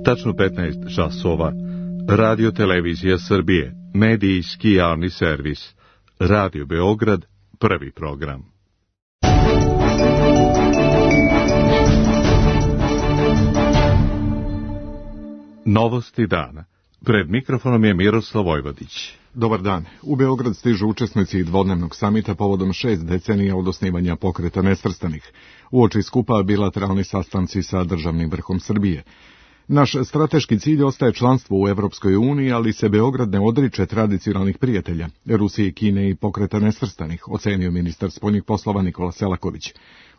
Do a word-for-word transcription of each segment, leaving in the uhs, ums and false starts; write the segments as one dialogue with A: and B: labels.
A: Tačno petnaest časova. Radio Televizija Srbije, medijski javni servis. Radio Beograd, prvi program. Novosti dana. Pred mikrofonom je Miroslav Vojvodić.
B: Dobar dan. U Beograd stižu učesnici dvodnevnog samita povodom šest decenija od osnivanja Pokreta nesvrstanih. Uoči skupa bilateralni sastanci sa državnim vrhom Srbije. Naš strateški cilj ostaje članstvo u Evropskoj uniji, ali se Beograd ne odriče tradicionalnih prijatelja, Rusije, Kine i Pokreta nesvrstanih, ocenio ministar spoljnih poslova Nikola Selaković.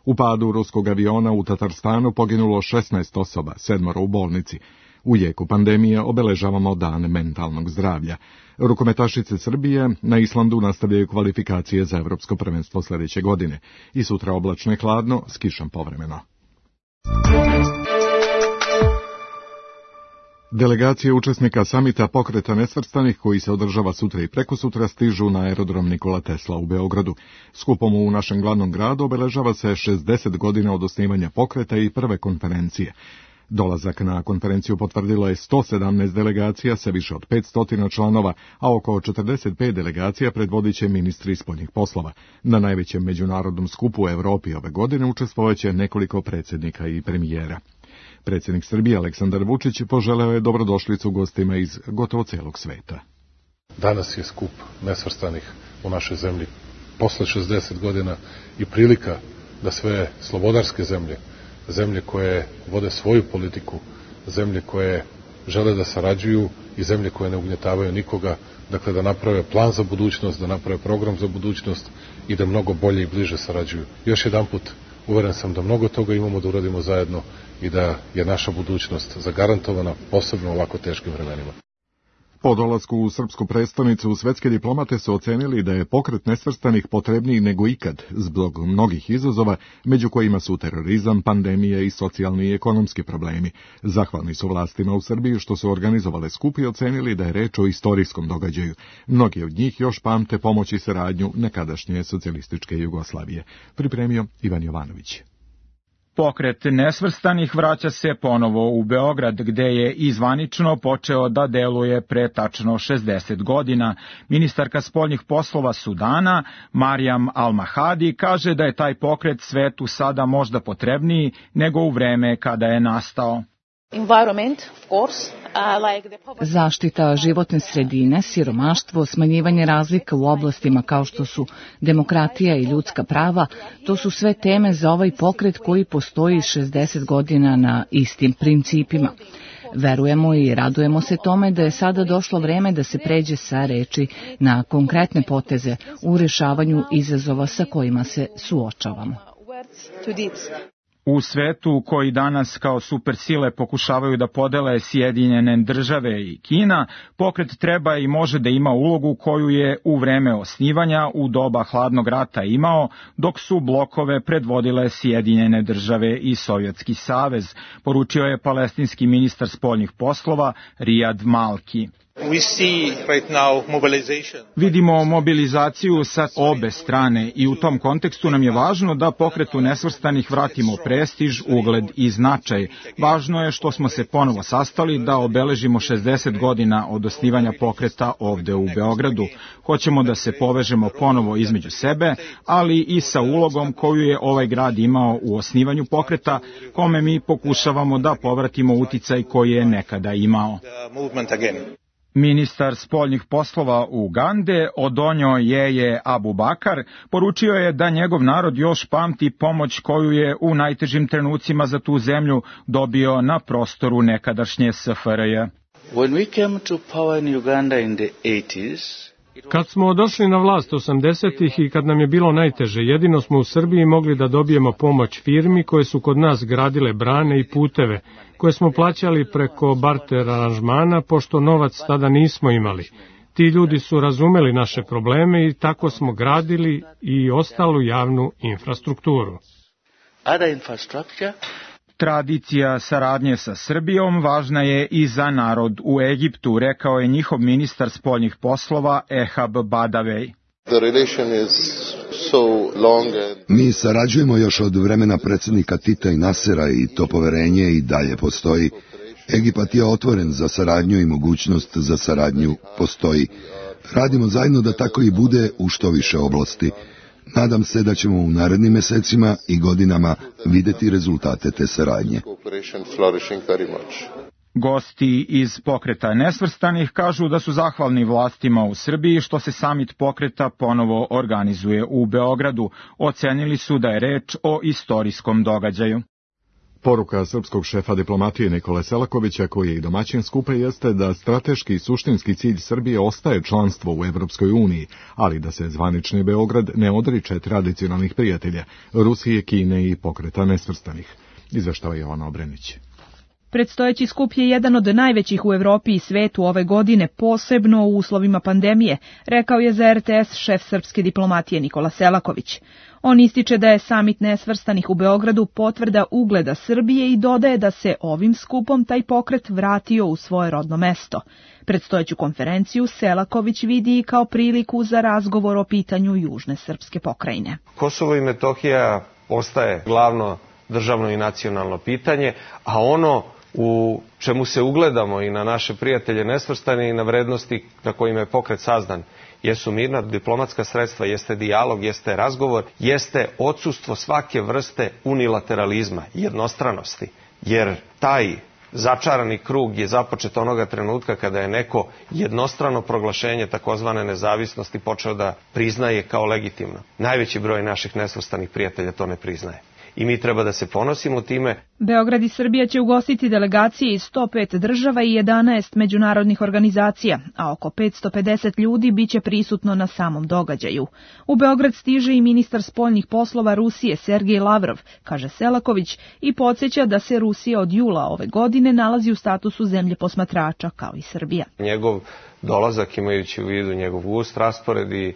B: U padu ruskog aviona u Tatarstanu poginulo šesnaest osoba, sedmoro u bolnici. U jeku pandemije obeležavamo dan mentalnog zdravlja. Rukometašice Srbije na Islandu nastavljaju kvalifikacije za evropsko prvenstvo sljedeće godine. I sutra oblačno i hladno, s kišom povremeno. Delegacije učesnika samita Pokreta nesvrstanih, koji se održava sutra i prekosutra, stižu na aerodrom Nikola Tesla u Beogradu. Skupom u našem glavnom gradu obeležava se šezdeset godina od osnivanja pokreta i prve konferencije. Dolazak na konferenciju potvrdilo je sto sedamnaest delegacija sa više od petsto članova, a oko četrdeset pet delegacija predvodit će ministri spoljnih poslova. Na najvećem međunarodnom skupu u Evropi ove godine učestvovaće nekoliko predsjednika i premijera. Predsjednik Srbije Aleksandar Vučić poželeo je dobrodošlicu gostima iz gotovo celog sveta.
C: Danas je skup nesvrstanih u našoj zemlji posle šezdeset godina i prilika da sve slobodarske zemlje, zemlje koje vode svoju politiku, zemlje koje žele da sarađuju i zemlje koje ne ugnjetavaju nikoga, dakle da naprave plan za budućnost, da naprave program za budućnost i da mnogo bolje i bliže sarađuju. Još jedanput, uveren sam da mnogo toga imamo da uradimo zajedno i da je naša budućnost zagarantovana, posebno u ovako teškim vremenima.
B: Po dolasku u srpsku prestonicu, svetske diplomate su ocenili da je pokret nesvrstanih potrebniji nego ikad, zbog mnogih izazova, među kojima su terorizam, pandemija i socijalni i ekonomski problemi. Zahvalni su vlastima u Srbiji što su organizovale skup i ocenili da je reč o istorijskom događaju. Mnogi od njih još pamte pomoć i saradnju nekadašnje socijalističke Jugoslavije. Pripremio Ivan Jovanović.
D: Pokret nesvrstanih vraća se ponovo u Beograd, gde je izvanično počeo da deluje pre tačno šezdeset godina. Ministarka spoljnih poslova Sudana, Marijam Al-Mahadi, kaže da je taj pokret svetu sada možda potrebniji nego u vreme kada je nastao.
E: Zaštita životne sredine, siromaštvo, smanjivanje razlika u oblastima kao što su demokratija i ljudska prava, to su sve teme za ovaj pokret koji postoji šezdeset godina na istim principima. Verujemo i radujemo se tome da je sada došlo vreme da se pređe sa reči na konkretne poteze u rešavanju izazova sa kojima se suočavamo.
D: U svetu koji danas kao supersile pokušavaju da podele Sjedinjene države i Kina, pokret treba i može da ima ulogu koju je u vreme osnivanja u doba hladnog rata imao, dok su blokove predvodile Sjedinjene države i Sovjetski savez, poručio je palestinski ministar spoljnih poslova Rijad Malki. Vidimo mobilizaciju sa obe strane i u tom kontekstu nam je važno da pokretu nesvrstanih vratimo prestiž, ugled i značaj. Važno je što smo se ponovo sastali da obeležimo šezdeset godina od osnivanja pokreta ovde u Beogradu. Hoćemo da se povežemo ponovo između sebe, ali i sa ulogom koju je ovaj grad imao u osnivanju pokreta, kome mi pokušavamo da povratimo uticaj koji je nekada imao. Ministar spoljnih poslova Ugande, Odonjo Jeje Abubakar, poručio je da njegov narod još pamti pomoć koju je u najtežim trenucima za tu zemlju dobio na prostoru nekadašnje S F R J.
F: When we came to power in Uganda in the eighties,
G: kad smo došli na vlast osamdesetih i kad nam je bilo najteže, jedino smo u Srbiji mogli da dobijemo pomoć firmi koje su kod nas gradile brane i puteve, koje smo plaćali preko barter aranžmana, pošto novac tada nismo imali. Ti ljudi su razumeli naše probleme i tako smo gradili i ostalu javnu infrastrukturu.
F: Other infrastructure.
D: Tradicija saradnje sa Srbijom važna je i za narod u Egiptu, rekao je njihov ministar spoljnih poslova Ehab Badavej.
H: Mi sarađujemo još od vremena predsjednika Tita i Nasera i to poverenje i dalje postoji. Egipat je otvoren za saradnju i mogućnost za saradnju postoji. Radimo zajedno da tako i bude u što više oblasti. Nadam se da ćemo u narednim mesecima i godinama videti rezultate te saradnje.
D: Gosti iz Pokreta nesvrstanih kažu da su zahvalni vlastima u Srbiji što se samit pokreta ponovo organizuje u Beogradu. Ocenili su da je reč o istorijskom događaju.
B: Poruka srpskog šefa diplomatije Nikole Selakovića, koji je i domaćin skupa, jeste da strateški i suštinski cilj Srbije ostaje članstvo u Evropskoj uniji, ali da se zvanični Beograd ne odriče tradicionalnih prijatelja, Rusije, Kine i Pokreta nesvrstanih. Izveštava Jovana Obrenić.
I: Predstojeći skup je jedan od najvećih u Evropi i svetu ove godine, posebno u uslovima pandemije, rekao je za er te es šef srpske diplomatije Nikola Selaković. On ističe da je samit nesvrstanih u Beogradu potvrda ugleda Srbije i dodaje da se ovim skupom taj pokret vratio u svoje rodno mesto. Predstojeću konferenciju Selaković vidi i kao priliku za razgovor o pitanju južne srpske pokrajine.
J: Kosovo i Metohija ostaje glavno državno i nacionalno pitanje, a ono u čemu se ugledamo i na naše prijatelje nesvrstane i na vrednosti na kojima je pokret sazdan, jesu mirna diplomatska sredstva, jeste dijalog, jeste razgovor, jeste odsustvo svake vrste unilateralizma, jednostranosti, jer taj začarani krug je započet onoga trenutka kada je neko jednostrano proglašenje takozvane nezavisnosti počeo da priznaje kao legitimno. Najveći broj naših nesvrstanih prijatelja to ne priznaje. I mi treba da se ponosimo time.
I: Beograd i Srbija će ugostiti delegacije iz sto pet država i jedanaest međunarodnih organizacija, a oko petsto pedeset ljudi biće prisutno na samom događaju. U Beograd stiže i ministar spoljnih poslova Rusije Sergej Lavrov, kaže Selaković, i podsjeća da se Rusija od jula ove godine nalazi u statusu zemlje posmatrača kao i Srbija.
J: Njegov dolazak, imajući u vidu njegov gust raspored i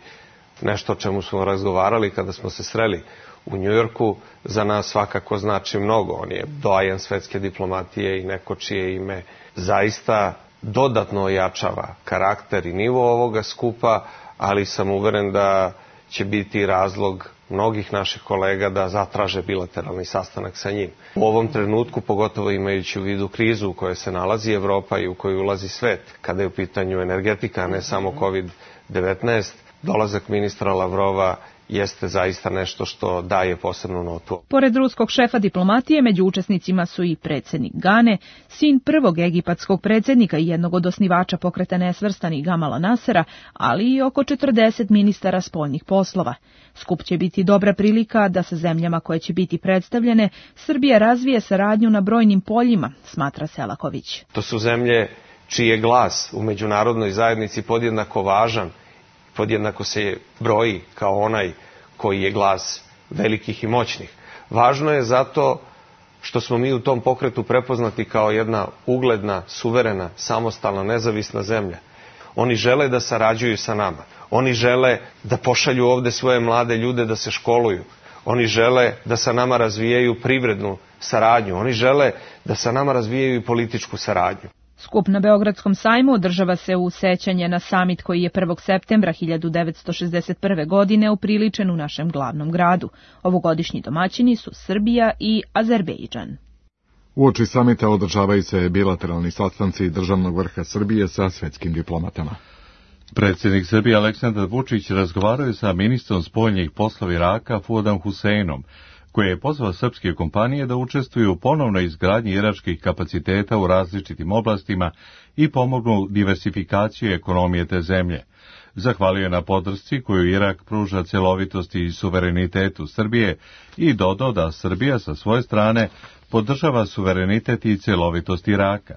J: nešto o čemu smo razgovarali kada smo se sreli u Njujorku, za nas svakako znači mnogo. On je doajen svetske diplomatije i neko čije ime zaista dodatno ojačava karakter i nivo ovoga skupa, ali sam uveren da će biti razlog mnogih naših kolega da zatraže bilateralni sastanak sa njim. U ovom trenutku, pogotovo imajući u vidu krizu u kojoj se nalazi Evropa i u kojoj ulazi svet, kada je u pitanju energetika, a ne samo kovid devetnaest, dolazak ministra Lavrova jeste zaista nešto što daje posebnu notu.
I: Pored ruskog šefa diplomatije, među učesnicima su i predsjednik Gane, sin prvog egipatskog predsjednika i jednog od osnivača pokreta nesvrstanih Gamala Nasera, ali i oko četrdeset ministara spoljnih poslova. Skup će biti dobra prilika da sa zemljama koje će biti predstavljene Srbija razvije saradnju na brojnim poljima, smatra Selaković.
J: To su zemlje čiji je glas u međunarodnoj zajednici podjednako važan, podjednako se broji kao onaj koji je glas velikih i moćnih. Važno je zato što smo mi u tom pokretu prepoznati kao jedna ugledna, suverena, samostalna, nezavisna zemlja. Oni žele da sarađuju sa nama. Oni žele da pošalju ovde svoje mlade ljude da se školuju. Oni žele da sa nama razvijaju privrednu saradnju. Oni žele da sa nama razvijaju i političku saradnju.
I: Skup na Beogradskom sajmu održava se u sećanje na samit koji je prvog septembra hiljadu devetsto šezdeset prve. godine upriličen u našem glavnom gradu. Ovogodišnji domaćini su Srbija i Azerbejdžan.
B: Uoči samita održavaju se bilateralni sastanci državnog vrha Srbije sa svetskim diplomatama.
A: Predsjednik Srbije Aleksandar Vučić razgovarao je sa ministrom spoljnih poslova Iraka Fuadom Huseinom, koji je pozvao srpske kompanije da učestvuju u ponovnoj izgradnji iračkih kapaciteta u različitim oblastima i pomognu diversifikaciju ekonomije te zemlje. Zahvalio je na podršci koju Irak pruža cjelovitosti i suverenitetu Srbije i dodao da Srbija sa svoje strane podržava suverenitet i cjelovitost Iraka.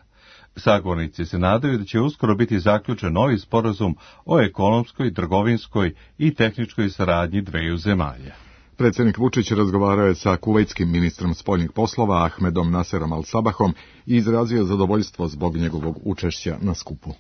A: Sagovornici se nadaju da će uskoro biti zaključen novi sporazum o ekonomskoj, trgovinskoj i tehničkoj saradnji dveju zemalja.
B: Predsjednik Vučić razgovarao je sa kuvejtskim ministrom spoljnih poslova Ahmedom Naserom Al-Sabahom i izrazio zadovoljstvo zbog njegovog učešća na skupu.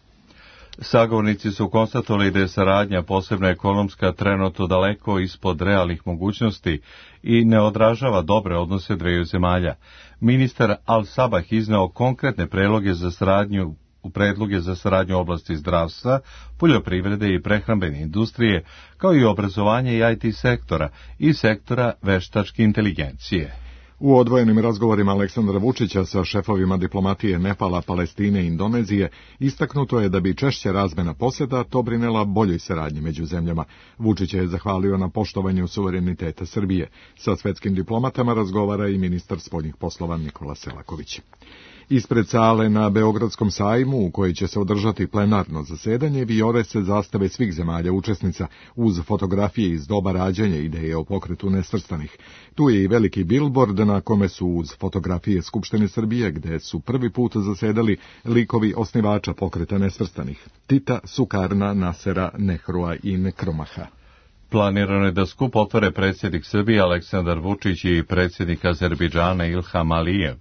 A: Sagovornici su konstatovali da je saradnja, posebno ekonomska, trenutno daleko ispod realnih mogućnosti i ne odražava dobre odnose dveju zemalja. Ministar Al-Sabah izneo konkretne predloge za saradnju u predloge za saradnju u oblasti zdravstva, poljoprivrede i prehrambene industrije, kao i obrazovanje i i te sektora i sektora veštačke inteligencije.
B: U odvojenim razgovorima Aleksandra Vučića sa šefovima diplomatije Nepala, Palestine i Indonezije istaknuto je da bi češća razmena posjeta doprinela boljoj saradnji među zemljama. Vučić je zahvalio na poštovanju suvereniteta Srbije. Sa svetskim diplomatama razgovara i ministar spoljnih poslova Nikola Selaković. Ispred sale na Beogradskom sajmu, u kojoj će se održati plenarno zasedanje, vijore se zastave svih zemalja učesnica, uz fotografije iz doba rađanja ideje o pokretu nesvrstanih. Tu je i veliki bilbord na kome su uz fotografije Skupštine Srbije, gde su prvi put zasedali likovi osnivača pokreta nesvrstanih, Tita, Sukarna, Nasera, Nehrua i Nekromaha.
A: Planirano je da skup otvore predsjednik Srbije Aleksandar Vučić i predsjednik Azerbejdžana Ilham Alijev.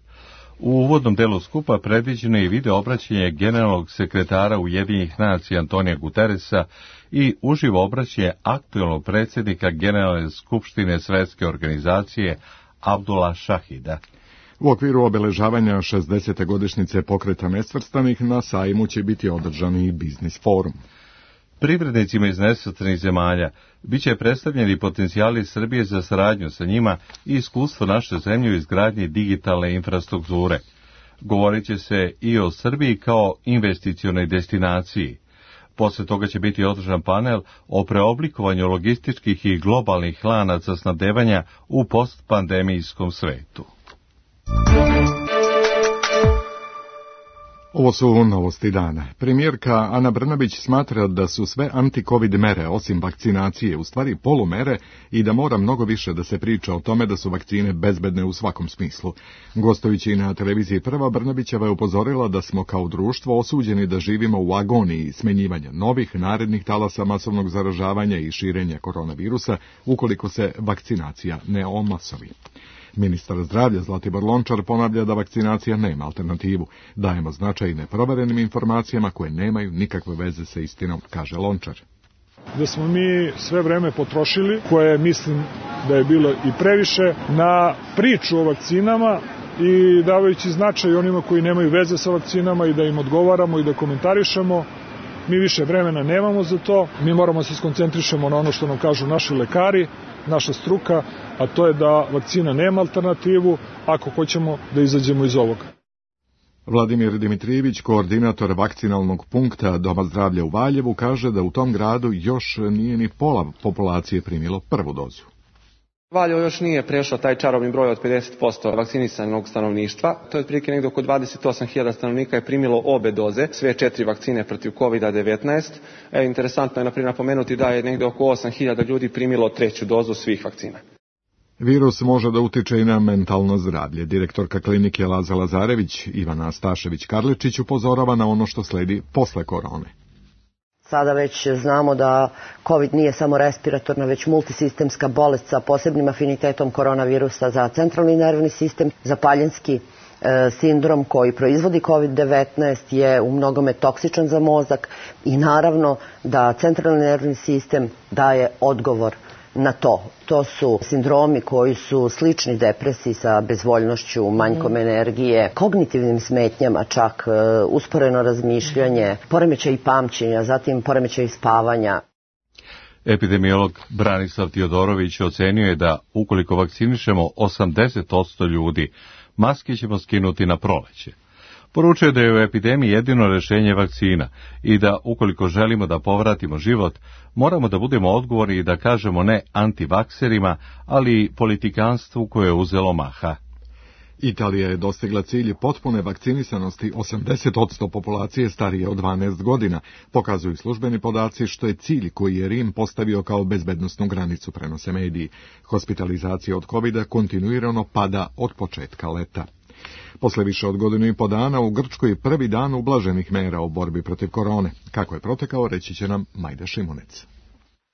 A: U uvodnom delu skupa predviđeno je i video obraćanje generalnog sekretara Ujedinjenih nacija Antonija Guterresa i uživo obraćanje aktuelnog predsjednika Generalne skupštine Svetske organizacije Abdula Šahida.
B: U okviru obeležavanja šezdesete godišnjice pokreta nesvrstanih na sajmu će biti održan i biznis forum.
A: Privrednicima iz nesvrstanih zemalja biće predstavljeni potencijali Srbije za saradnju sa njima i iskustvo naše zemlje u izgradnji digitalne infrastrukture. Govorit će se i o Srbiji kao investicionoj destinaciji. Posle toga će biti održan panel o preoblikovanju logističkih i globalnih lanaca snabdevanja u postpandemijskom svetu.
B: Ovo su novosti dana. Premijerka Ana Brnabić smatra da su sve anti-covid mere, osim vakcinacije, u stvari polumere i da mora mnogo više da se priča o tome da su vakcine bezbedne u svakom smislu. Gostujući na televiziji Prva, Brnabićeva je upozorila da smo kao društvo osuđeni da živimo u agoniji smenjivanja novih narednih talasa masovnog zaražavanja i širenja koronavirusa ukoliko se vakcinacija ne omasovi. Ministar zdravlja Zlatibor Lončar ponavlja da vakcinacija nema alternativu. Dajemo značaj neproverenim informacijama koje nemaju nikakve veze sa istinom, kaže Lončar.
K: Da smo mi sve vreme potrošili, koje mislim da je bilo i previše, na priču o vakcinama i davajući značaj onima koji nemaju veze sa vakcinama i da im odgovaramo i da komentarišemo. Mi više vremena nemamo za to, mi moramo se skoncentrišemo na ono što nam kažu naši lekari, naša struka, a to je da vakcina nema alternativu ako hoćemo da izađemo iz ovoga.
B: Vladimir Dimitrijević, koordinator vakcinalnog punkta Doma zdravlja u Valjevu, kaže da u tom gradu još nije ni pola populacije primilo prvu dozu.
L: Valjevo još nije prešao taj čarobni broj od pedeset posto vakcinisanog stanovništva. To je otprilike negdje oko dvadeset osam hiljada stanovnika je primilo obe doze, sve četiri vakcine protiv kovid devetnaest. E, interesantno je naprimjer napomenuti da je negdje oko osam hiljada ljudi primilo treću dozu svih vakcina.
B: Virus može da utiče i na mentalno zdravlje. Direktorka klinike Laza Lazarević, Ivana Stašević-Karličić, upozorava na ono što sledi posle korone.
M: Sada već znamo da COVID nije samo respiratorna, već multisistemska bolest sa posebnim afinitetom koronavirusa za centralni nervni sistem. Zapaljenski e, sindrom koji proizvodi kovid devetnaest je u mnogome toksičan za mozak i naravno da centralni nervni sistem daje odgovor na to. To su sindromi koji su slični depresiji sa bezvoljnošću, manjkom energije, kognitivnim smetnjama, čak usporeno razmišljanje, poremećaj pamćenja, zatim poremećaj spavanja.
A: Epidemiolog Branislav Tiodorović ocenio je da ukoliko vakcinišemo osamdeset posto ljudi, maske ćemo skinuti na proleće. Poručuje da je u epidemiji jedino rješenje vakcina i da ukoliko želimo da povratimo život, moramo da budemo odgovorni i da kažemo ne antivakserima, ali i politikanstvu koje je uzelo maha.
B: Italija je dostigla cilj potpune vakcinisanosti osamdeset posto populacije starije od dvanaest godina, pokazuju službeni podaci, što je cilj koji je Rim postavio kao bezbednosnu granicu, prenose mediji. Hospitalizacija od kovida kontinuirano pada od početka leta. Posle više od godinu i po dana u Grčkoj prvi dan ublaženih mera u borbi protiv korone. Kako je protekao, reći će nam Majda Šimunec.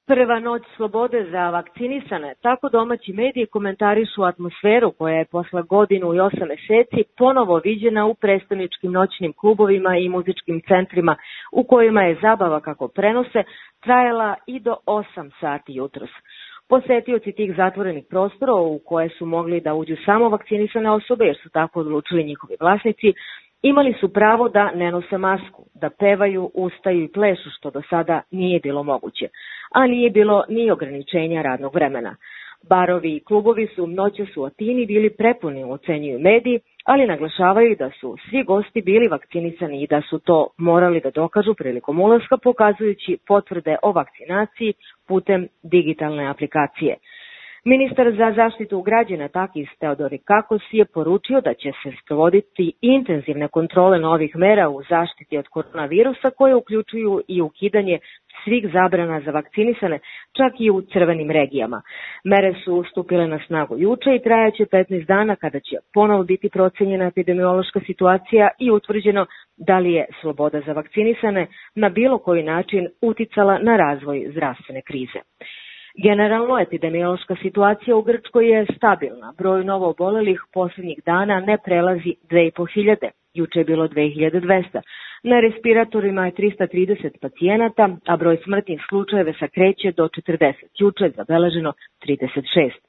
N: Prva noć slobode za vakcinisane, tako domaći mediji komentarišu atmosferu koja je posle godinu i osam meseci ponovo viđena u prestoničkim noćnim klubovima i muzičkim centrima u kojima je zabava, kako prenose, trajala i do osam sati jutros. Posetioci tih zatvorenih prostora u koje su mogli da uđu samo vakcinisane osobe, jer su tako odlučili njihovi vlasnici, imali su pravo da ne nose masku, da pevaju, ustaju i plešu, što do sada nije bilo moguće, a nije bilo ni ograničenja radnog vremena. Barovi i klubovi su noćas u Atini bili prepuni, ocenjuju mediji, ali naglašavaju da su svi gosti bili vakcinisani i da su to morali da dokažu prilikom ulaska, pokazujući potvrde o vakcinaciji putem digitalne aplikacije. Ministar za zaštitu građana Takis Theodorikakos je poručio da će se sprovoditi intenzivne kontrole novih mera u zaštiti od koronavirusa koje uključuju i ukidanje svih zabrana za vakcinisane, čak i u crvenim regijama. Mere su stupile na snagu juče i trajaće petnaest dana kada će ponovo biti procenjena epidemiološka situacija i utvrđeno da li je sloboda za vakcinisane na bilo koji način uticala na razvoj zdravstvene krize. Generalno, epidemiološka situacija u Grčkoj je stabilna. Broj novo obolelih posljednjih dana ne prelazi dve i po hiljade. Juče je bilo dve hiljade dvesta. Na respiratorima je trista trideset pacijenata, a broj smrtnih slučajeva se kreće do četrdeset. Juče je zabeleženo trideset šest.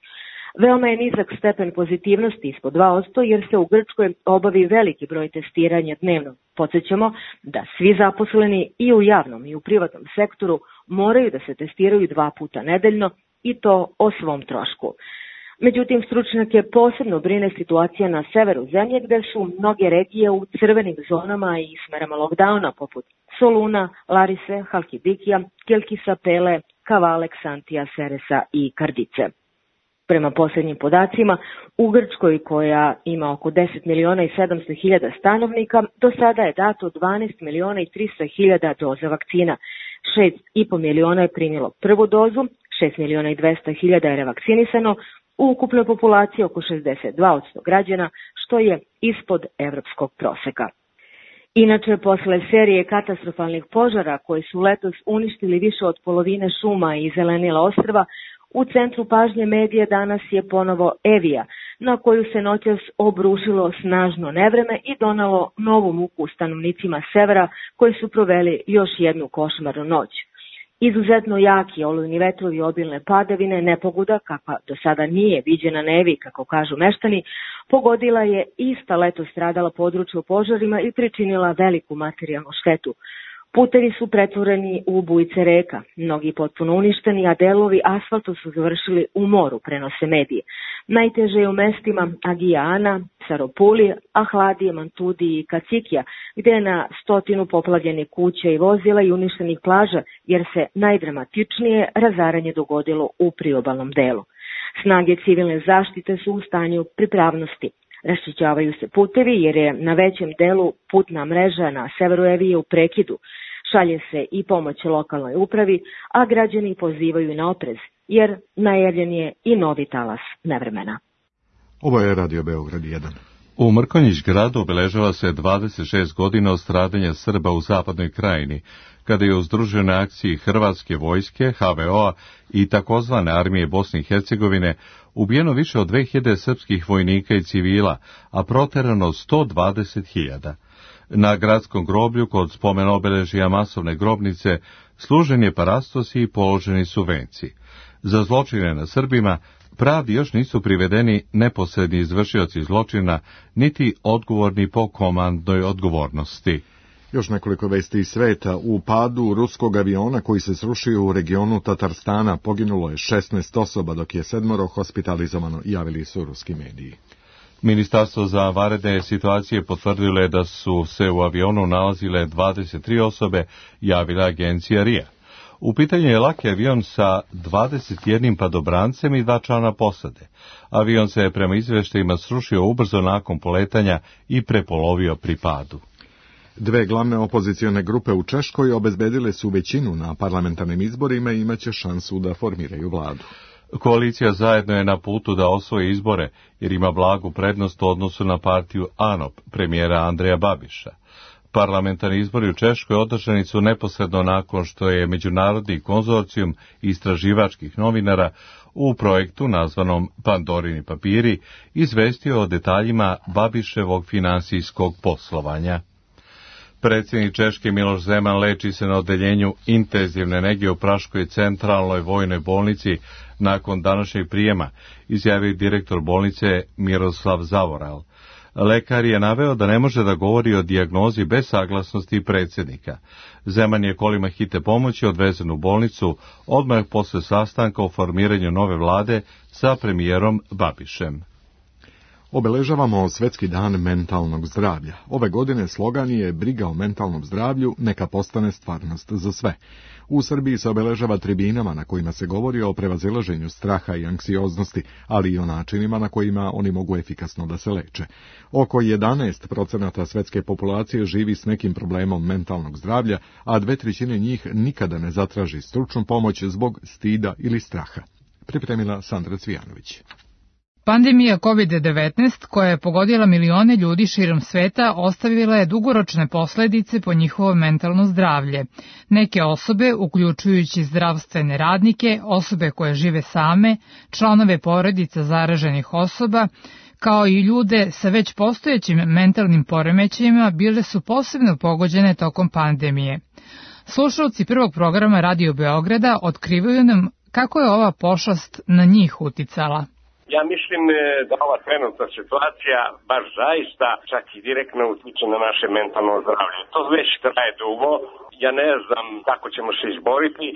N: Veoma je nizak stepen pozitivnosti ispod dva posto jer se u Grčkoj obavi veliki broj testiranja dnevno. Podsjećamo da svi zaposleni i u javnom i u privatnom sektoru moraju da se testiraju dva puta nedeljno i to o svom trošku. Međutim, stručnjake posebno brine situacija na severu zemlje gde su mnoge regije u crvenim zonama i s merama lockdowna poput Soluna, Larise, Halkidikija, Kilkisa, Pele, Kavale, Ksantija, Seresa i Kardice. Prema posljednjim podacima, u Grčkoj, koja ima oko deset miliona i sedamsto hiljada stanovnika, do sada je dato dvanaest miliona i tristo hiljada doza vakcina. šest i po miliona je primilo prvu dozu, šest miliona i dvesta hiljada je revakcinisano, u ukupnoj populaciji oko šezdeset dva posto građana, što je ispod evropskog proseka. Inače, posle serije katastrofalnih požara koji su letos uništili više od polovine šuma i zelenila ostrva, u centru pažnje medija danas je ponovo Evija, na koju se noćas obrušilo snažno nevreme i donalo novu muku stanovnicima severa koji su proveli još jednu košmarnu noć. Izuzetno jaki olujni vetrovi i obilne padavine, nepogoda, kakva do sada nije viđena na Eviji, kako kažu meštani, pogodila je ista leto stradala područje u požarima i pričinila veliku materijalnu štetu. Putevi su pretvoreni u bujice reka, mnogi potpuno uništeni, a delovi asfalta su završili u moru, prenose medije. Najteže je u mestima Agija Ana, Saropuli, Ahladije, Mantudi i Kacikija, gde je na stotinu poplavljenih kuća i vozila i uništenih plaža, jer se najdramatičnije razaranje dogodilo u priobalnom delu. Snage civilne zaštite su u stanju pripravnosti. Raščišćavaju se putevi jer je na većem delu putna mreža na severu Evije u prekidu. Šalje se i pomoć lokalnoj upravi, a građani pozivaju na oprez, jer najavljen je i novi talas nevremena.
B: Ovo je Radio Beograd jedan.
A: U Mrkonjić gradu obeležava se dvadeset šest godina od stradanja Srba u zapadnoj krajini, kada je u združenoj akciji Hrvatske vojske, H V O-a i takozvane armije Bosne i Hercegovine ubijeno više od dve hiljade srpskih vojnika i civila, a proterano sto dvadeset hiljada. Na gradskom groblju kod spomen obeležija masovne grobnice služen je parastos i položeni su venci. Za zločine na Srbima pravdi još nisu privedeni neposredni izvršioci zločina, niti odgovorni po komandnoj odgovornosti.
B: Još nekoliko vesti iz sveta. U padu ruskog aviona koji se srušio u regionu Tatarstana poginulo je šesnaest osoba, dok je sedmoro hospitalizovano, javili su ruski mediji.
A: Ministarstvo za vanredne situacije potvrdilo je da su se u avionu nalazile dvadeset tri osobe, javila agencija R I A. U pitanju je laki avion sa dvadeset jednim padobrancem i dva člana posade. Avion se je prema izveštajima srušio ubrzo nakon poletanja i prepolovio pri padu.
B: Dve glavne opozicione grupe u Češkoj obezbedile su većinu na parlamentarnim izborima i imaće šansu da formiraju vladu.
A: Koalicija zajedno je na putu da osvoji izbore, jer ima blagu prednost u odnosu na partiju A N O P, premijera Andreja Babiša. Parlamentarni izbori u Češkoj održani su neposredno nakon što je Međunarodni konzorcijum istraživačkih novinara u projektu nazvanom Pandorini papiri izvestio o detaljima Babiševog finansijskog poslovanja. Predsjednik Češke Miloš Zeman leči se na odeljenju intenzivne nege u Praškoj centralnoj vojnoj bolnici nakon današnjeg prijema, izjavio direktor bolnice Miroslav Zavoral. Lekar je naveo da ne može da govori o dijagnozi bez saglasnosti predsjednika. Zeman je kolima hitne pomoći odvezen u bolnicu odmah posle sastanka o formiranju nove vlade sa premijerom Babišem.
B: Obeležavamo Svetski dan mentalnog zdravlja. Ove godine slogan je briga o mentalnom zdravlju neka postane stvarnost za sve. U Srbiji se obeležava tribinama na kojima se govori o prevazilaženju straha i anksioznosti, ali i o načinima na kojima oni mogu efikasno da se leče. Oko jedanaest procenata svetske populacije živi s nekim problemom mentalnog zdravlja, a dve trećine njih nikada ne zatraži stručnu pomoć zbog stida ili straha. Pripremila Sandra Cvijanović.
O: Pandemija kovid devetnaest, koja je pogodila milione ljudi širom sveta, ostavila je dugoročne posledice po njihovo mentalno zdravlje. Neke osobe, uključujući zdravstvene radnike, osobe koje žive same, članove porodica zaraženih osoba, kao i ljude sa već postojećim mentalnim poremećajima, bile su posebno pogođene tokom pandemije. Slušalci prvog programa Radio Beograda otkrivaju nam kako je ova pošast na njih uticala.
P: Ja mislim da ova trenutna situacija baš zaista čak i direktno utiče na naše mentalno zdravlje. To već traje dugo, ja ne znam kako ćemo se izboriti,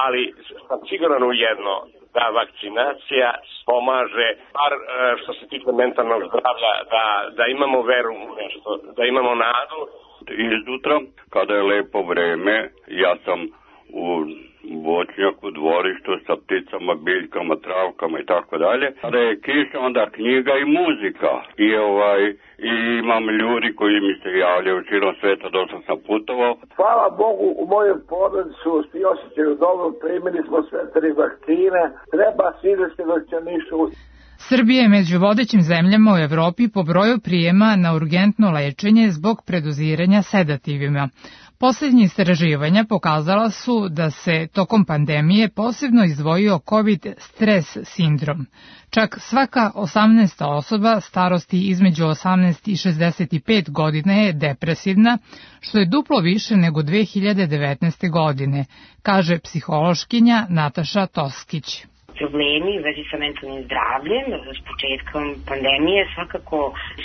P: ali sam siguran u jedno, da vakcinacija pomaže, bar što se tiče mentalnog zdravlja, da, da imamo veru u nešto, da imamo nadu.
Q: Izjutra, kada je lepo vreme, ja sam u voćnjaku, dvorištu sa pticama, biljkama, travkama i tako dalje. Kada je kiša, onda knjiga i muzika. I ovaj i imam ljudi koji mi se javljaju širom sveta, dosta sam putovao.
R: Hvala Bogu, u mojoj porodicu svi osjećaju dobro, primili smo sve tri vakcine, treba siliti vakcinišu.
O: Srbija je među vodećim zemljama u Evropi po broju prijema na urgentno lečenje zbog predoziranja sedativima. Posljednje istraživanja pokazala su da se tokom pandemije posebno izdvojio COVID stres sindrom. Čak svaka osamnaesta osoba starosti između osamnaest i šezdeset pet godine je depresivna, što je duplo više nego dve hiljade devetnaeste. godine, kaže psihološkinja Nataša Toskić.
S: Problemi u vezi sa mentalnim zdravljem s početkom pandemije svakako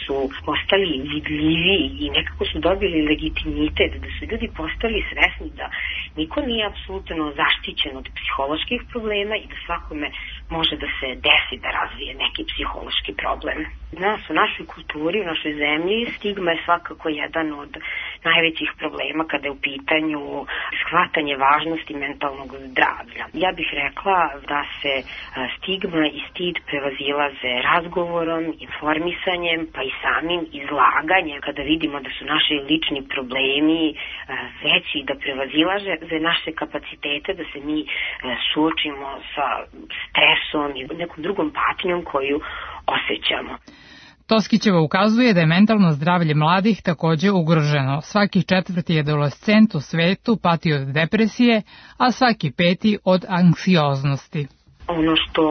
S: su postali vidljivi i nekako su dobili legitimitet, da su ljudi postali svesni da niko nije apsolutno zaštićen od psiholoških problema i da svakome može da se desi da razvije neki psihološki problem. Nas u našoj kulturi, u našoj zemlji, stigma je svakako jedan od najvećih problema kada je u pitanju shvatanje važnosti mentalnog zdravlja. Ja bih rekla da se stigma i stid prevazilaze razgovorom, informisanjem, pa i samim izlaganjem. Kada vidimo da su naši lični problemi veći, da prevazilaže za naše kapacitete, da se mi suočimo sa stresom i nekom drugom patnjom koju osjećamo.
O: Toskićeva ukazuje da je mentalno zdravlje mladih takođe ugroženo. Svaki četvrti adolescent u svetu pati od depresije, a svaki peti od anksioznosti.
S: Ono što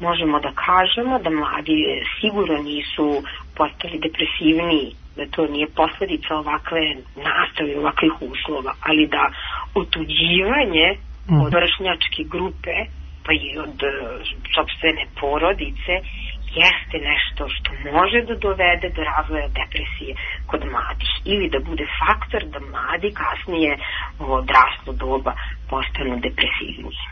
S: možemo da kažemo, da mladi sigurno nisu postali depresivniji, da to nije posledica ovakve nastave, ovakvih uslova, ali da otuđivanje mm. od vršnjačke grupe, pa i od sopstvene porodice, jeste nešto što može da dovede do razvoja depresije kod mladih ili da bude faktor da mladi kasnije u odraslo doba postanu depresivniji.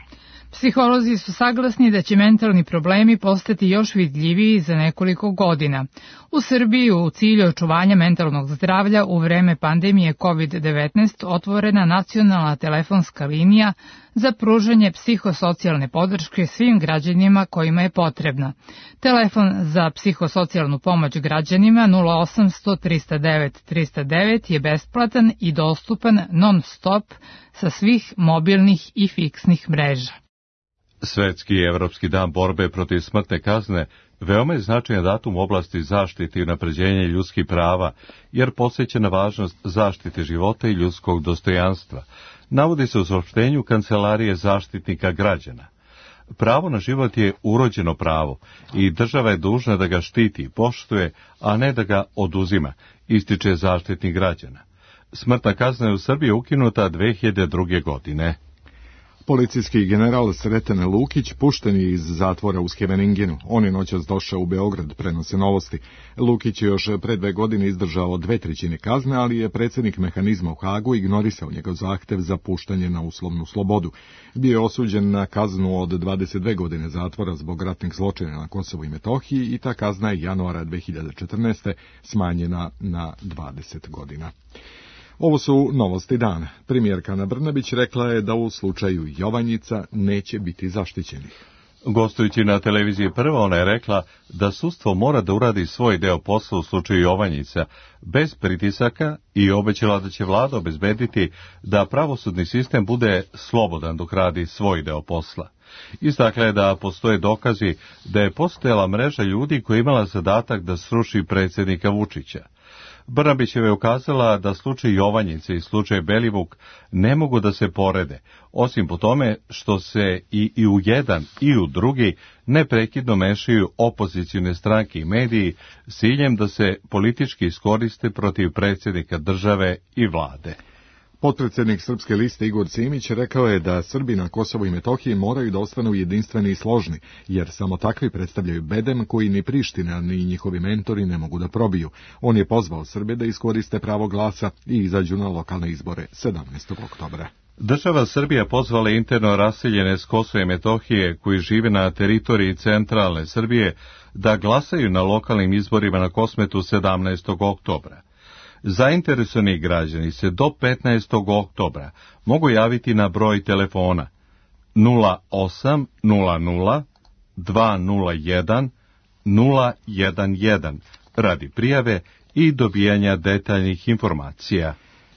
O: Psiholozi su saglasni da će mentalni problemi postati još vidljiviji za nekoliko godina. U Srbiji u cilju očuvanja mentalnog zdravlja u vreme pandemije kovid devetnaest otvorena nacionalna telefonska linija za pružanje psihosocijalne podrške svim građanima kojima je potrebna. Telefon za psihosocijalnu pomoć građanima nula osamsto trista devet trista devet je besplatan i dostupan non stop sa svih mobilnih i fiksnih mreža.
A: Svetski i Evropski dan borbe protiv smrtne kazne veoma je značajan datum u oblasti zaštite i unapređenja ljudskih prava, jer podsjeća na važnost zaštite života i ljudskog dostojanstva. Navodi se u saopštenju Kancelarije zaštitnika građana. Pravo na život je urođeno pravo i država je dužna da ga štiti, poštuje, a ne da ga oduzima, ističe zaštitnik građana. Smrtna kazna je u Srbiji ukinuta dve hiljade druge. godine.
B: Policijski general Sreten Lukić pušten je iz zatvora u Scheveningenu. On je noćas došao u Beograd, prenose Novosti. Lukić je još pre dve godine izdržao dve trećine kazne, ali je predsjednik mehanizma u Hagu ignorisao njegov zahtev za puštanje na uslovnu slobodu. Bio je osuđen na kaznu od dvadeset dve godine zatvora zbog ratnih zločina na Kosovu i Metohiji i ta kazna je januara dve hiljade četrnaeste. smanjena na dvadeset godina. Ovo su novosti dana. Premijerka Ana Brnabić rekla je da u slučaju Jovanjica neće biti zaštićenih.
A: Gostujući na televiziji Prva, ona je rekla da sudstvo mora da uradi svoj deo posla u slučaju Jovanjica, bez pritisaka, i obećala da će vlada obezbediti da pravosudni sistem bude slobodan dok radi svoj deo posla. Istakla je da postoje dokazi da je postojala mreža ljudi koja je imala zadatak da sruši predsjednika Vučića. Brnabićeva je ukazala da slučaj Jovanjice i slučaj Belivuk ne mogu da se porede, osim po tome što se i, i u jedan i u drugi neprekidno mešaju opozicione stranke i mediji s ciljem da se politički iskoriste protiv predsjednika države i vlade.
B: Potpredsjednik Srpske liste Igor Simić rekao je da Srbi na Kosovu i Metohiji moraju da ostanu jedinstveni i složni, jer samo takvi predstavljaju bedem koji ni Priština ni njihovi mentori ne mogu da probiju. On je pozvao Srbe da iskoriste pravo glasa i izađu na lokalne izbore sedamnaestog oktobra.
A: Država Srbija pozvala interno raseljene s Kosova i Metohije koji žive na teritoriji centralne Srbije da glasaju na lokalnim izborima na Kosmetu sedamnaestog oktobra. Zainteresovani građani se do petnaestog oktobra mogu javiti na broj telefona nula osam nula nula dva nula jedan nula jedan jedan radi prijave i dobijanja detaljnih informacija.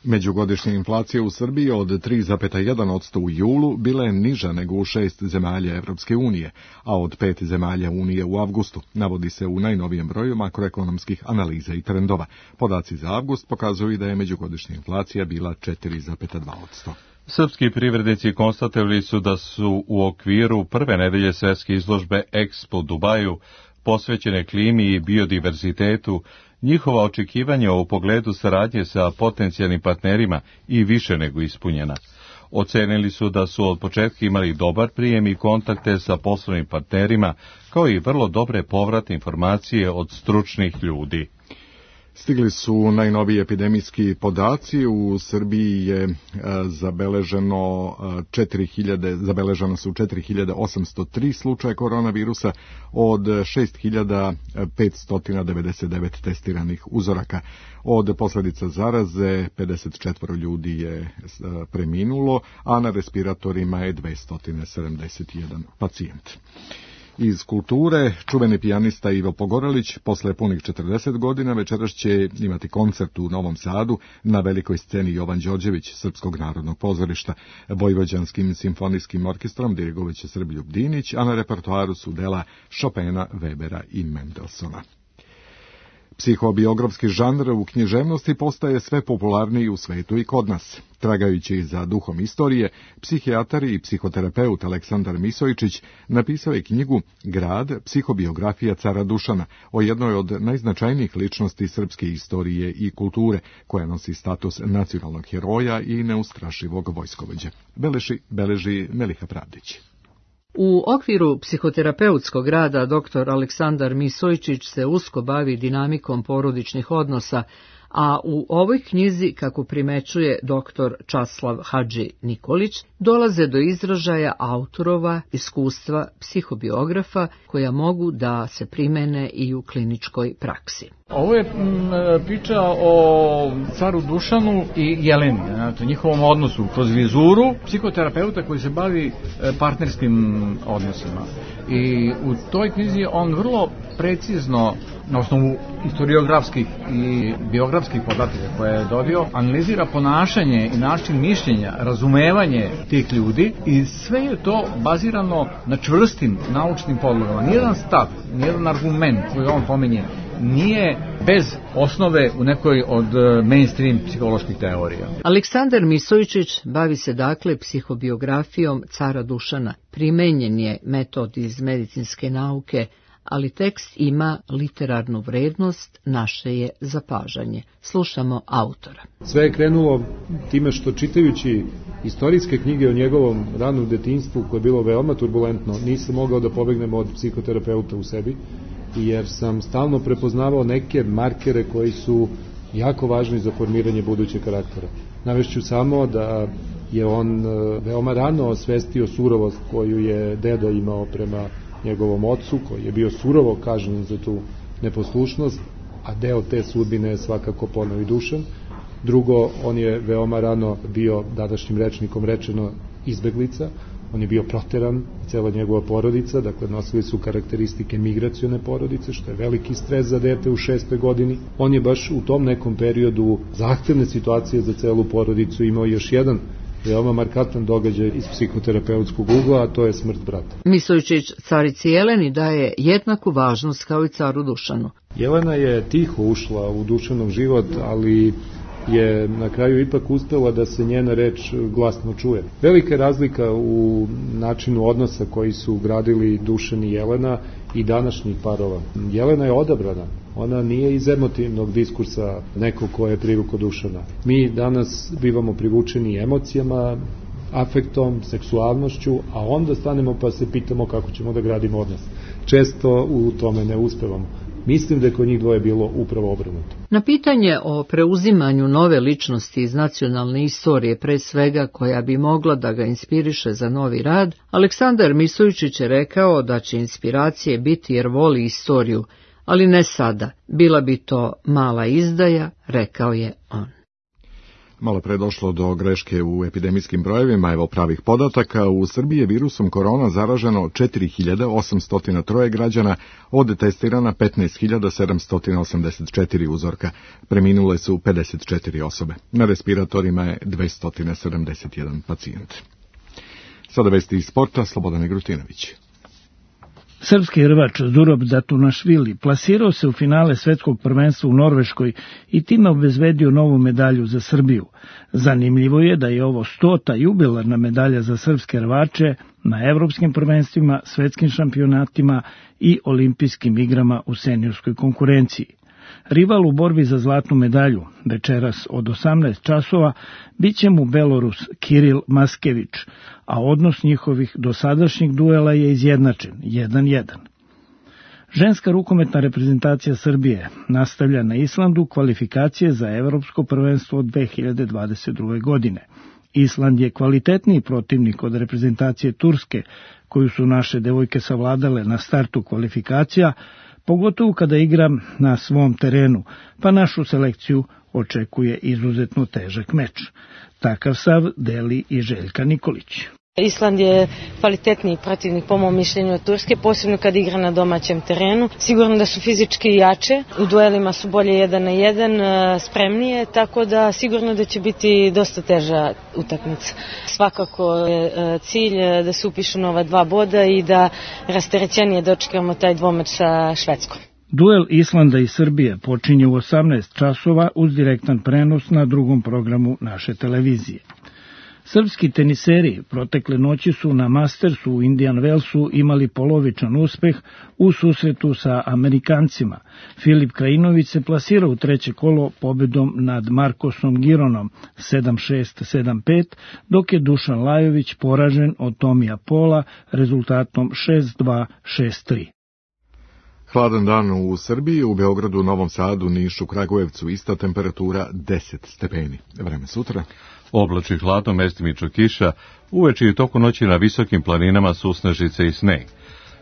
B: Međugodišnja inflacija u Srbiji od tri zarez jedan posto u julu bila je niža nego u šest zemalja Evropske unije, a od pet zemalja Unije u avgustu, navodi se u najnovijem broju makroekonomskih analiza i trendova. Podaci za avgust pokazuju da je međugodišnja inflacija bila četiri zarez dva posto.
A: Srpski privrednici konstatovali su da su u okviru prve nedelje svetske izložbe Expo Dubaju posvećene klimi i biodiverzitetu, njihova očekivanja u pogledu saradnje sa potencijalnim partnerima i više nego ispunjena. Ocenili su da su od početka imali dobar prijem i kontakte sa poslovnim partnerima, kao i vrlo dobre povratne informacije od stručnih ljudi.
B: Stigli su najnoviji epidemijski podaci. U Srbiji je zabeleženo četiri hiljade, zabeleženo su četiri hiljade osamsto tri slučaja koronavirusa od šest hiljada petsto devedeset devet testiranih uzoraka. Od posljedica zaraze pedeset četiri ljudi je preminulo, a na respiratorima je dvesta sedamdeset jedan pacijent. Iz kulture, čuveni pijanista Ivo Pogorelić posle punih četrdeset godina večeras će imati koncert u Novom Sadu na velikoj sceni Jovan Đorđević Srpskog narodnog pozorišta. Vojvođanskim simfonijskim orkestrom dirigovaće Srbljub Dinić, a na repertoaru su dela Chopina, Webera i Mendelsona. Psihobiografski žanr u književnosti postaje sve popularniji u svetu i kod nas. Tragajući za duhom istorije, psihijatar i psihoterapeut Aleksandar Misojičić napisao je knjigu Grad, psihobiografija cara Dušana, o jednoj od najznačajnijih ličnosti srpske istorije i kulture, koja nosi status nacionalnog heroja i neustrašivog vojskovođe. Beleži, beleži Meliha Pravdić.
T: U okviru psihoterapeutskog rada doktor Aleksandar Misojičić se usko bavi dinamikom porodičnih odnosa, a u ovoj knjizi, kako primećuje doktor Časlav Hadži Nikolić, dolaze do izražaja autorova iskustva psihobiografa koja mogu da se primene i u kliničkoj praksi.
U: Ovo je priča o caru Dušanu i Jeleni, znači, njihovom odnosu kroz vizuru psihoterapeuta koji se bavi partnerskim odnosima. I u toj knjizi on vrlo precizno, na osnovu historiografskih i biografskih podataka koje je dobio, analizira ponašanje i način mišljenja, razumevanje tih ljudi, i sve je to bazirano na čvrstim naučnim podlogama. Nijedan stav, nijedan argument koji on pominje nije bez osnove u nekoj od mainstream psiholoških teorija.
T: Aleksandar Misojičić bavi se dakle psihobiografijom cara Dušana. Primenjen je metod iz medicinske nauke ali tekst ima literarnu vrednost, naše je zapažanje. Slušamo autora.
C: Sve je krenulo time što čitajući istorijske knjige o njegovom ranom detinjstvu, koje je bilo veoma turbulentno, nisam mogao da pobegnem od psihoterapeuta u sebi, jer sam stalno prepoznavao neke markere koji su jako važni za formiranje budućeg karaktera. Navešću samo da je on veoma rano osvestio surovost koju je dedo imao prema njegovom ocu, koji je bio surovo kažnjen za tu neposlušnost, a deo te sudbine je svakako poneo i Dušan. Drugo, on je veoma rano bio, današnjim rečnikom rečeno, izbeglica. On je bio proteran, cela njegova porodica, dakle nosili su karakteristike migracione porodice, što je veliki stres za dete u šestoj godini. On je baš u tom nekom periodu zahtevne situacije za celu porodicu imao još jedan veoma markantan događaj iz psihoterapeutskog ugla, a to je smrt brata.
T: Misovičić carici Jeleni daje jednaku važnost kao i caru Dušanu.
C: Jelena je tiho ušla u Dušanov život, ali je na kraju ipak uspela da se njena reč glasno čuje. Velika je razlika u načinu odnosa koji su gradili Dušan i Jelena i današnjih parova. Jelena je odabrana, ona nije iz emotivnog diskursa neko ko je privukao Dušana. Mi danas bivamo privučeni emocijama, afektom, seksualnošću, a onda stanemo pa se pitamo kako ćemo da gradimo odnos. Često u tome ne uspevamo. Mislim da je kod njih dvoje bilo upravo obrnuto.
T: Na pitanje o preuzimanju nove ličnosti iz nacionalne istorije, pre svega koja bi mogla da ga inspiriše za novi rad, Aleksandar Misovičić je rekao da će inspiracije biti jer voli istoriju, ali ne sada. Bila bi to mala izdaja, rekao je on.
B: Malo pre došlo do greške u epidemijskim brojevima, evo pravih podataka. U Srbiji je virusom korona zaraženo četiri hiljade osamsto tri građana, od testirana petnaest hiljada sedamsto osamdeset četiri uzorka. Preminule su pedeset četiri osobe. Na respiratorima je dvesta sedamdeset jedan pacijent. Sada vesti iz sporta, Slobodan Igrutinović.
V: Srpski rvač Zurab Zatunašvili plasirao se u finale svetskog prvenstva u Norveškoj i time obezbedio novu medalju za Srbiju. Zanimljivo je da je ovo stota jubilarna medalja za srpske rvače na evropskim prvenstvima, svetskim šampionatima i olimpijskim igrama u seniorskoj konkurenciji. Rival u borbi za zlatnu medalju, večeras od osamnaest časova, bit će mu Belorus Kiril Maskević, a odnos njihovih dosadašnjih duela je izjednačen, jedan jedan. Ženska rukometna reprezentacija Srbije nastavlja na Islandu kvalifikacije za evropsko prvenstvo od dve hiljade dvadeset druge. godine. Island je kvalitetniji protivnik od reprezentacije Turske, koju su naše devojke savladale na startu kvalifikacija, pogotovo kada igram na svom terenu, pa našu selekciju očekuje izuzetno težak meč. Takav stav deli i Željka Nikolić.
W: Island je kvalitetniji protivnik po mom mišljenju od Turske, posebno kad igra na domaćem terenu. Sigurno da su fizički jače, u duelima su bolje jedan na jedan, spremnije, tako da sigurno da će biti dosta teža utakmica. Svakako je cilj da se upišu nova dva boda i da rasterećenije dočekamo taj dvomeč sa Švedskom.
V: Duel Islanda i Srbije počinje u osamnaest časova uz direktan prenos na drugom programu naše televizije. Srpski teniseri protekle noći su na Mastersu u Indian Wellsu imali polovičan uspeh u susretu sa Amerikancima. Filip Krajinović se plasirao u treće kolo pobedom nad Markosom Gironom sedam šest sedam pet, dok je Dušan Lajović poražen od Tomija Pola rezultatom šest dva šest tri.
B: Hladan dan u Srbiji, u Beogradu, Novom Sadu, Nišu, Kragujevcu, ista temperatura deset stepeni. Vreme sutra.
A: Oblači hladno, mestimično kiša, uveče i toku noći na visokim planinama susnežice i sneg.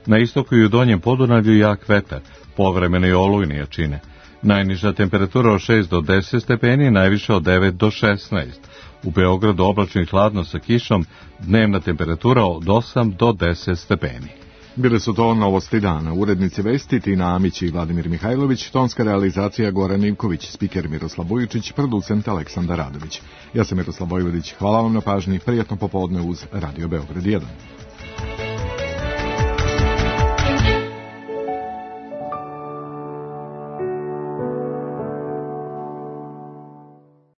A: Na istoku i u donjem Podunavlju jak vetar, povremeno i olujne jačine. Najniža temperatura od šest do deset stepeni, najviše od devet do šesnaest. U Beogradu oblačno i hladno sa kišom, dnevna temperatura od osam do deset stepeni.
B: Bile su to novosti dana. Urednici vesti Tina Amić i Vladimir Mihajlović, tonska realizacija Goran Ivković, spiker Miroslav Vujičić, producent Aleksandar Radović. Ja sam Miroslav Vojvodić, hvala vam na pažnji, prijatno popodne uz Radio Beograd jedan.